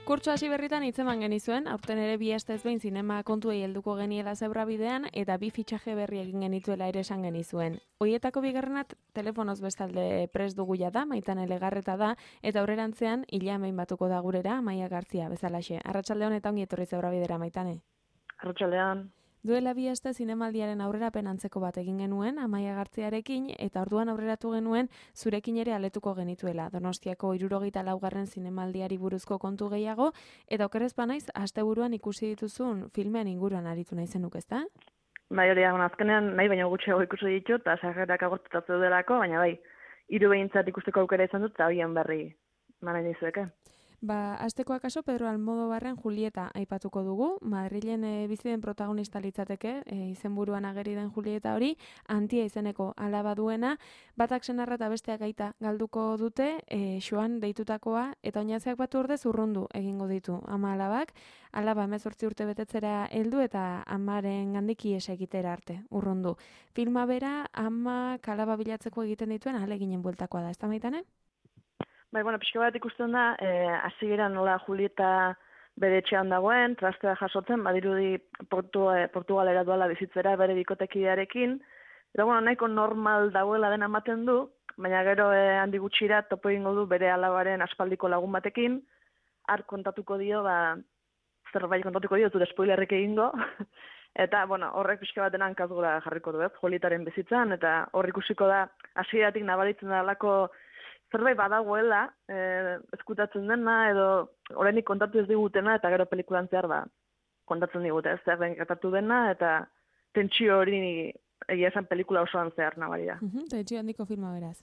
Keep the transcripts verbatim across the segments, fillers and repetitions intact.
Kurtso hasi berritan hitzeman genizuen, aurten ere bi astez behin zinema kontuei helduko geniela zebra bidean eta bi fitxaje berri egin genituela ere esan genizuen. Hoietako bigarrenat telefonoz bestalde prest dugu jada, Maitane Legarreta da, eta aurrerantzean hila hemein batuko da gurera, Amaia Gartzia bezalaxe. Arratsaldeon eta ongi etorri zebra bidera, Maitane. Arratsaldean. Duela bi aste zinemaldiaren aurrerapen antzeko bat egin genuen, Amaia Gartziarekin, eta orduan aurreratu genuen zurekin ere aletuko genituela. Donostiako hirurogeita laugarren zinemaldiari buruzko kontu gehiago, eta okerrez banaiz, asteburuan ikusi dituzun filmean inguruan aritu nahi zenuk, ezta? Bai, hori azkenean nahi baina gutxiago ikusi ditut, eta sarrerak agortutatu delako, baina bai, hiru behintzat ikusteko aukera izan dut, eta horien berri mara nizueke. Ba, asteko akaso Pedro Almodobarren Julieta aipatuko dugu. Madrilen e, bizi den protagonista litzateke, e, izenburuan ageri den Julieta hori, Antia izeneko alaba duena, batak senarra eta besteak aita galduko dute, e, Xoan deitutakoa, eta oinatzeak batu ordez urrundu egingo ditu ama alabak, alaba hemezortzi urte betetzera heldu eta amaren gandik ihes egitera arte, urrundu. Filma bera ama alaba bilatzeko egiten dituen ahaleginen bueltakoa da, ez da Maitane? Bai, bueno, pixka bat ikusten da, hasieran nola Julieta bere etxean dagoen, trastea jasotzen, badirudi Portu, eh, Portugalera duala bizitzera bere bikotekidearekin, eta bueno, nahiko normal dagoela dena ematen du, baina gero eh, handi gutxira topo egingo du bere alabaren aspaldiko lagun batekin, har kontatuko dio, ba, zerbait kontatuko dio, zure spoilerrik egingo, eta bueno, horrek pixka bat denan kazgora jarriko du, ez, Julietaren bizitzan, eta hor ikusiko da, hasieratik nabaritzen da lako zerbait badagoela, eh, eskutatzen dena, edo oraindik kontatu ez digutena, eta gero pelikulan zehar ba, kontatzen digute, ez zer den gertatu dena, eta tentsio hori egia esan pelikula osoan zehar nabaria. Uh-huh, tentsio handiko filma beraz.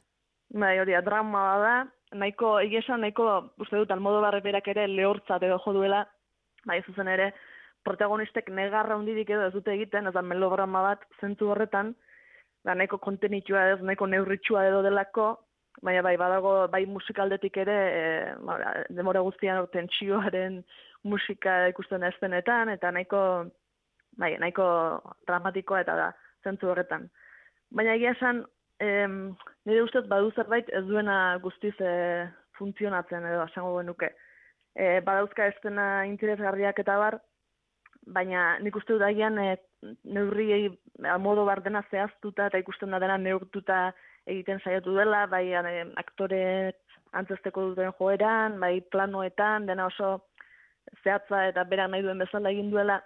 Bai, hori, drama da, nahiko, egia esan nahiko, uste dut, Almodovar berak ere lehortzat edo jo duela, bai zuzen ere, protagonistek negarra hundirik edo ez dute egiten, ez da melodrama bat zentzu horretan, da nahiko kontenitua ez, nahiko neurritxua edo delako, baina bai, badago, bai musikaldetik ere, e, demora guztian tentsioaren musika ikusten eztenetan, eta nahiko, bai, nahiko dramatikoa eta da, zentzu horretan. Baina egia esan, em, nire ustez badu zerbait ez duena guztiz e, funtzionatzen edo esango genuke. E, badauzka estena interesgarriak eta bar, baina nik uste dut agian e, neurriei Almodovar dena zehaztuta eta ikusten da dena neurtuta egiten saiatu dela, bai aktore antzesteko duten joeran, bai planoetan, dena oso zehatza eta berak nahi duen bezala egin duela,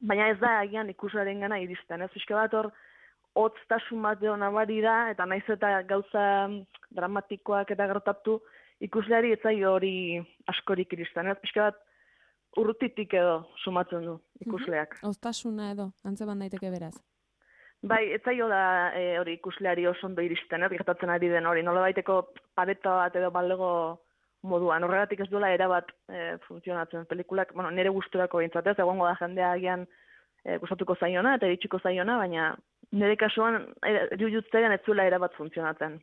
baina ez da agian ikuslearen gana iristen, ez pixka bat hor, hotztasun bat edo nabari da, eta naiz eta gauza dramatikoak eta gertatu, ikusleari ez zaio hori askorik iristen, ez pixka bat urrutitik edo sumatzen du ikusleak. Hoztasuna edo, antzeban daiteke beraz. Bai, ez zaio da e, hori ikusleari oso ondo iristen, ez gertatzen ari den hori, nola baiteko pareta bat edo balego moduan, horregatik ez duela erabat e, funtzionatzen pelikulak, bueno, nire gusturako behintzat ez, egongo da jendea agian e, gustatuko zaiona eta iritsiko zaiona, baina nire kasuan jujutzean ez zuela erabat funtzionatzen.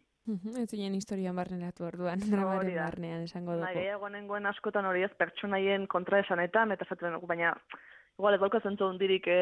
Ez zinen historian barneratu orduan, dramaren barnean esango dugu. Bai, gehiago nengoen askotan hori ez pertsonaien kontraesanetan, eta zaten dugu, baina igual ez dauka zentzu hundirik e,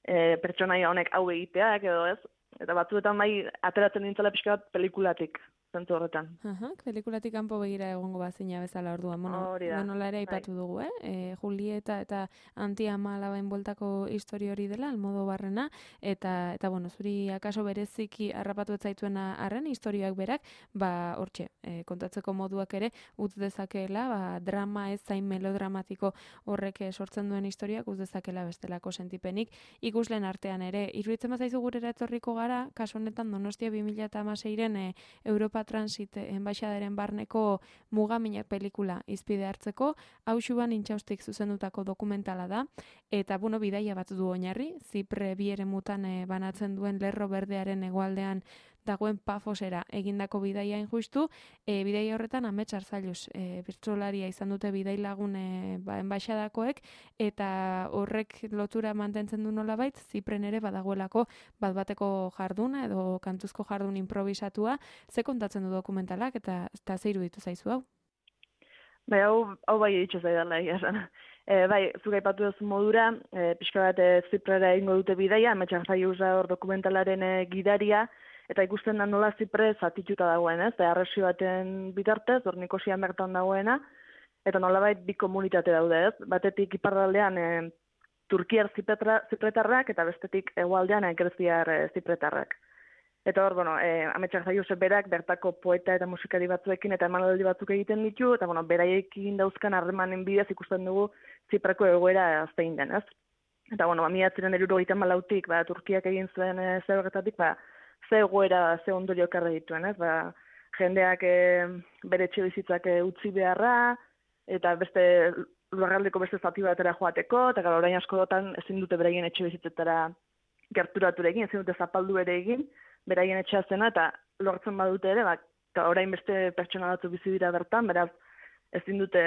e, pertsonaia honek hau egiteak edo ez, eta batzuetan bai ateratzen nintzela pixka bat pelikulatik zentzu horretan. Aha, pelikulatik kanpo begira egongo bazina bezala orduan. Bueno, nola ere aipatu dugu, eh? E, Julieta eta Antia ama alabain bueltako histori hori dela, Almodovarrena, eta, eta bueno, zuri akaso bereziki harrapatu ez zaituena arren, historioak berak, ba, hortxe, e, kontatzeko moduak ere, utz dezakeela, ba, drama ez zain melodramatiko horrek sortzen duen historiak, utz dezakela bestelako sentipenik, ikuslen artean ere, iruditzen bazaizu gurera etorriko gara, kasu honetan Donostia bi mila hamaseiren e, Europa Transit enbaixadaren barneko mugaminak pelikula izpide hartzeko, hausuban intxaustik zuzendutako dokumentala da, eta bueno, bidaia bat du oinarri, Zipre bi eremutan e, banatzen duen Lerro Berdearen hegoaldean dagoen Pafosera egindako bidaia injustu, e, bidaia horretan Amets Arzailuz e, birtsolaria izan dute bidailagun e, ba, enbaixadakoek, eta horrek lotura mantentzen du nolabait, Zipren ere badagoelako bat bateko jarduna edo kantuzko jardun improvisatua, ze kontatzen du dokumentalak eta eta ze iruditu zaizu hau? Bai, hau, hau bai editxo zaidala, egia esan. E, bai, zuk aipatu duzu modura, e, pixka bat e, Ziprera egingo dute bidaia, Amets Arzailuz hor dokumentalaren e, gidaria, eta ikusten da nola Zipre zatituta dagoen, ez? Arresi baten bitartez, hor Nikosian bertan dagoena, eta nolabait bi komunitate daude, ez? Batetik iparraldean e, Turkiar zipretarrak eta bestetik hegoaldean e, greziar e, zipretarrak. Eta hor, bueno, e, Ametsak Zaiusek berak bertako poeta eta musikari batzuekin eta emanaldi batzuk egiten ditu, eta bueno, beraiekin dauzkan harremanen bidez ikusten dugu Ziprako egoera zein den, ez? Eta bueno, ba, mila bederatziehun eta hirurogeita hamalautik, ba, Turkiak egin zuen e, zer horretatik, ba, ze egoera, ze ondorio ekarri dituen, ez? Ba, jendeak e, bere etxebizitzak e, utzi beharra, eta beste lurraldeko beste zati batera joateko, eta gara orain askotan ezin dute beraien etxebizitzetara gerturatu ere egin, ezin dute zapaldu ere egin, beraien etxea zena, eta lortzen badute ere, ba, orain beste pertsona batzu bizi dira bertan, beraz ezin dute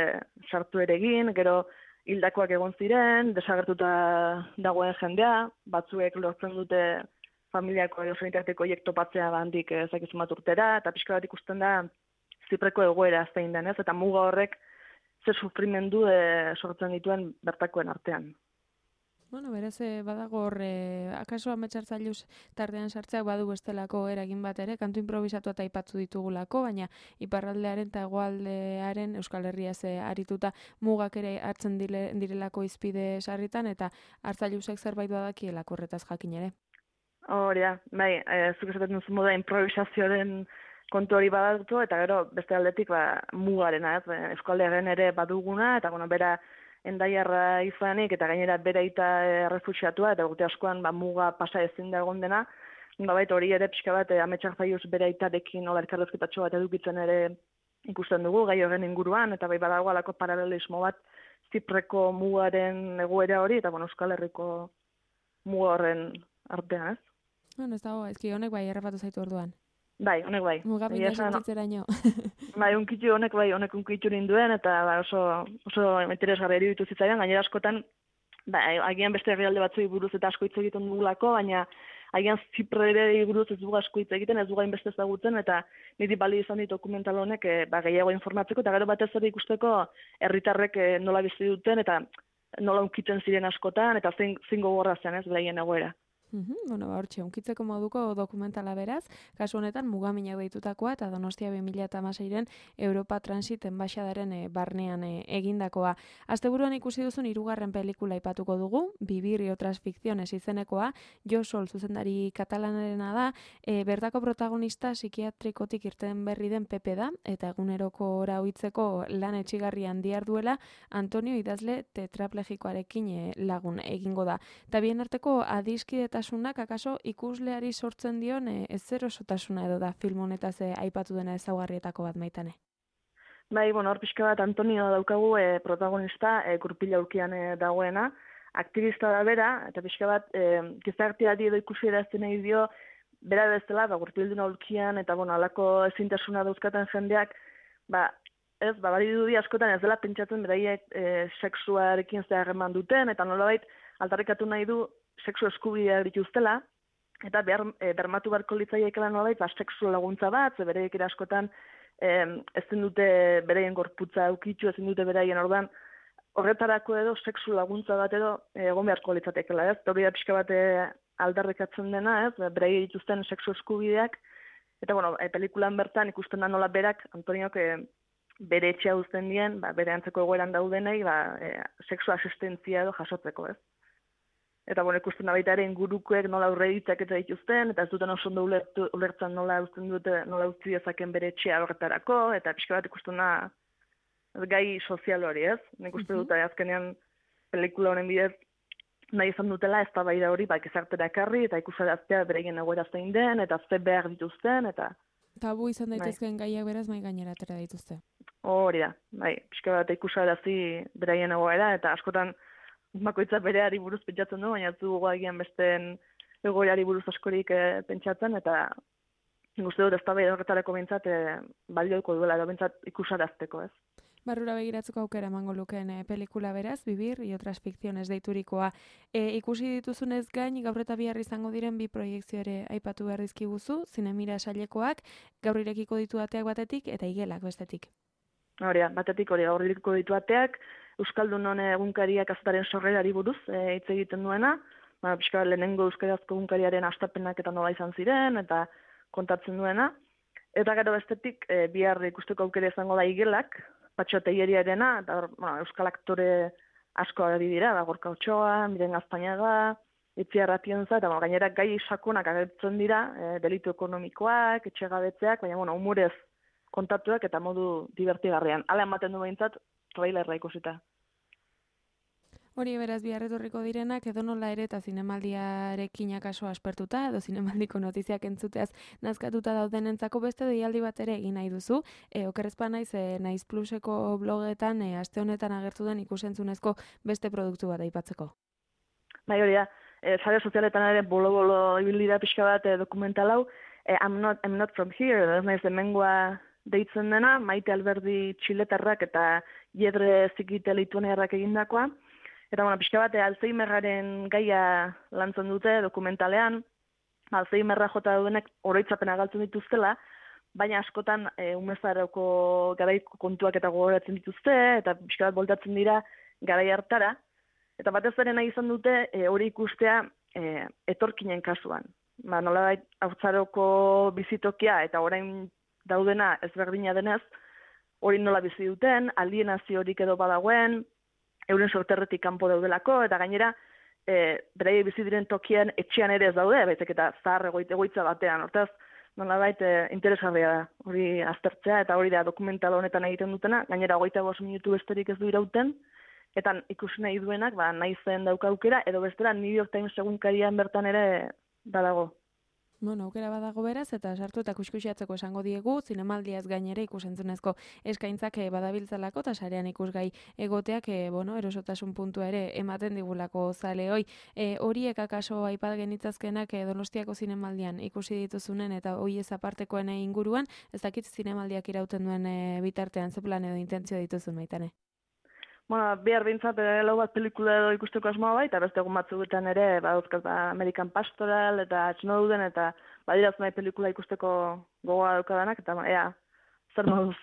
sartu ere egin, gero hildakoak egon ziren, desagertuta dagoen jendea, batzuek lortzen dute familiako edo sanitarteko hiek topatzea bandik ezakizun bat urtera, eta pixka bat ikusten da Zipreko egoera zein denez, eta muga horrek ze sufrimendu e, sortzen dituen bertakoen artean. Bueno, berez, badago hor, eh, akaso Ametsak Zaius tartean sartzeak badu bestelako eragin bat ere, kantu improvisatu eta aipatu ditugulako, baina iparraldearen eta hegoaldearen Euskal Herria ze arituta mugak ere hartzen dile, direlako izpide sarritan, eta Arzailusek zerbait badakielako horretaz jakin ere. Hori da, bai, e, zuk esaten duzu moda improvisazioaren kontu hori badatu, eta gero beste aldetik ba, mugarena, ez, Euskaldearen ere baduguna, eta bueno, bera endaiarra izanik, eta gainera bere aita errefuxiatua, eta urte askoan ba, muga pasa ezin da egon dena, nolabait hori ere pixka bat Ametsak Zaius bere aitarekin nola elkarrezketatxo bat edukitzen ere ikusten dugu, gai horren inguruan, eta bai badago alako paralelismo bat Zipreko mugaren egoera hori, eta bueno, Euskal Herriko muga horren artean, ez? Bueno, ez dago, ezki honek bai errapatu zaitu orduan. Bai, honek bai. Mugapina sentitzeraino. Bai, unkitzu honek bai, honek unkitzu ninduen, eta ba, oso, oso interesgarri eruditu zitzaidan, gainera askotan, ba, agian beste herrialde batzui buruz eta asko hitz egiten dugulako, baina agian Ziprere buruz ez dugu asko hitz egiten, ez dugu hainbeste ezagutzen, eta niri bali izan dit dokumental honek e, ba, gehiago informatzeko, eta gero batez ere ikusteko herritarrek e, nola bizi duten, eta nola unkitzen ziren askotan, eta zein, zein gogorra zen ez, beraien egoera. Uhum, bueno, ba, hortxe, unkitzeko moduko dokumentala beraz, kasu honetan mugaminak deitutakoa eta Donostia bi mila hamaseiren Europa Transit enbaxadaren e, barnean e, egindakoa. Asteburuan ikusi duzun hirugarren pelikula aipatuko dugu, Vivir y otras ficciones izenekoa, Jo Sol zuzendari katalanarena da, e, bertako protagonista psikiatrikotik irten berri den Pepe da, eta eguneroko ora ohitzeko lan etxigarrian diharduela Antonio idazle tetraplegikoarekin e, lagun egingo da. Eta bien arteko adiskideta Tasunak, akaso ikusleari sortzen dion e, ez erosotasuna edo da film honetaz e, aipatu dena ezaugarrietako bat maitane. Bai, bueno, hor pixka bat Antonio daukagu e, protagonista e, gurpila aurkian e, dagoena, aktivista da bera, eta pixka bat e, gizarteari edo ikusi erazten nahi dio, bera bezala, ba, gurpildun aurkian, eta bueno, alako ezintasuna dauzkaten jendeak, ba, ez, ba, bari dudi askotan ez dela pentsatzen beraiek e, sexuarekin zeharreman duten, eta nolabait aldarrikatu nahi du sexu eskubideak dituztela, eta behar, e, bermatu beharko litzaiekela nolabait, ba, sexu laguntza bat, ze bereiek ere askotan e, ezin dute beraien gorputza eukitzu, ezin dute beraien ordan, horretarako edo sexu laguntza bat edo e, egon beharko litzatekela, ez? Hori da pixka bat e, aldarrikatzen dena, ez? Beraiek dituzten sexu eskubideak, eta bueno, e, pelikulan bertan ikusten da nola berak, Antoniok e, bere etxea uzten dien, ba, bere antzeko egoeran daudenei, ba, e, sexu asistentzia edo jasotzeko, ez? Eta bueno, ikusten da baita ere ingurukoek nola aurre ditzaketa dituzten, eta ez duten oso ondo ulertu, ulertzen nola uzten dute, nola utzi dezaken bere etxea horretarako, eta pixka bat ikusten da gai sozial hori, ez? Nik uste dut, azkenean pelikula honen bidez nahi izan dutela ez da bai da hori, ba, gizartera ekarri, eta ikusaraztea bereien egoera zein den, eta ze behar dituzten, eta... Tabu izan daitezkeen gaiak beraz mai gainera atera dituzte. Hori da, bai, pixka bat ikusarazi bereien egoera, eta askotan bakoitza bereari buruz pentsatzen du, baina ez dugu agian besteen egoerari buruz askorik e, pentsatzen, eta guzti dut ez da behar horretarako bintzat e, balioiko duela, edo bintzat ikusarazteko, ez? Barrura begiratzeko aukera emango lukeen e, pelikula beraz, Vivir y otras ficciones deiturikoa. E, ikusi dituzunez gain, gaur eta bihar izango diren bi proiektzio ere aipatu behar dizkiguzu, Zinemira sailekoak, gaur irekiko ditu ateak batetik, eta igelak bestetik. Hori da, batetik hori gaur irekiko ditu ateak, Euskaldunon egunkariak azataren sorrerari buruz e, hitz egiten duena, ba, pixka lehenengo euskarazko egunkariaren hastapenak eta nola izan ziren, eta kontatzen duena. Eta gero bestetik, e, bihar ikusteko aukera izango da igelak, Patxo Teileriarena, eta bueno, euskal aktore asko ari dira, da Gorka Otxoa, Miren Gaztañaga, Itziar Atienza, eta bueno, gainera gai sakonak agertzen dira, e, delitu ekonomikoak, etxegabetzeak, baina bueno, humorez kontatuak eta modu divertigarrian. Hala ematen du behintzat, trailerra ikusita. Hori beraz biharretorriko direnak edonola ere eta zinemaldiarekin akaso aspertuta edo zinemaldiko notiziak entzuteaz nazkatuta daudenentzako beste deialdi bat ere egin nahi duzu. E, okerrezpa naiz, e, Naiz Pluseko blogetan e, aste honetan agertu den ikusentzunezko beste produktu bat aipatzeko. Bai hori da, e, sare sozialetan ere bolo-bolo ibilida pixka bat e, dokumental hau, e, I'm, not, I'm not from here, ez naiz hemengoa deitzen dena, Maite Alberdi txiletarrak eta Jedre Zikite Lituaniarrak egindakoa. Eta, bueno, pixka bat, Alzheimerraren gaia lantzen dute dokumentalean, Alzheimerra jota daudenek oroitzapena galtzen dituztela, baina askotan e, umezaroko garaiko kontuak eta gogoratzen dituzte, eta pixka bat voltatzen dira garai hartara. Eta batez ere nahi izan dute e, hori ikustea e, etorkinen kasuan. Ba, nolabait haurtzaroko bizitokia eta orain daudena ezberdina denez, hori nola bizi duten, alienaziorik edo badagoen, euren sorterretik kanpo daudelako, eta gainera, e, beraiek bizi diren tokian etxean ere ez daude, baizik eta zahar egoitza batean. Hortaz, nolabait e, interesgarria da hori aztertzea, eta hori da dokumental honetan egiten dutena, gainera hogeita bost minutu besterik ez du irauten, eta ikusi nahi duenak, ba, nahi zen dauka aukera, edo bestera New York Times egunkarian bertan ere badago. Bueno, aukera badago beraz, eta sartu eta kuskusiatzeko esango diegu, zinemaldiaz gainera ikusentzunezko eskaintzak badabiltzalako, eta sarean ikusgai egoteak, e, bueno, erosotasun puntua ere ematen digulako zale hoi. E, horiek akaso aipat genitzazkenak e, Donostiako zinemaldian ikusi dituzunen, eta hoi ez apartekoen inguruan, ez dakit zinemaldiak irauten duen e, bitartean ze plan edo intentzio dituzun baitane. Bueno, bihar bintzat, lau bat pelikula edo ikusteko asmoa bai, eta beste egun batzuetan ere, badauzkaz, ba, American Pastoral, eta Snowden, eta badiraz nahi pelikula ikusteko gogoa daukadanak, eta ea, zer moduz.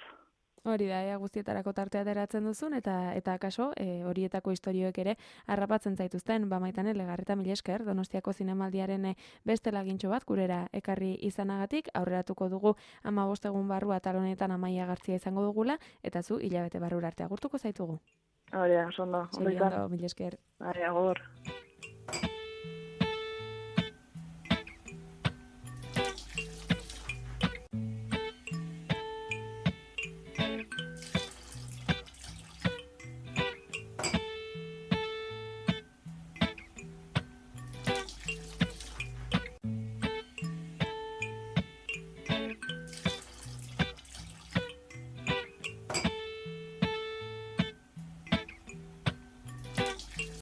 Hori da, ea guztietarako tartea ateratzen duzun, eta eta akaso, e, horietako istorioek ere harrapatzen zaituzten, ba Maitane Legarreta mila esker, Donostiako zinemaldiaren beste lagintxo bat gurera ekarri izanagatik, aurreratuko dugu hamabost egun barru atal honetan Amaia Gartzia izango dugula, eta zu hilabete barrura arte agurtuko zaitugu. Hori da, oso ondo. Ondo, mila esker. Bai, agur.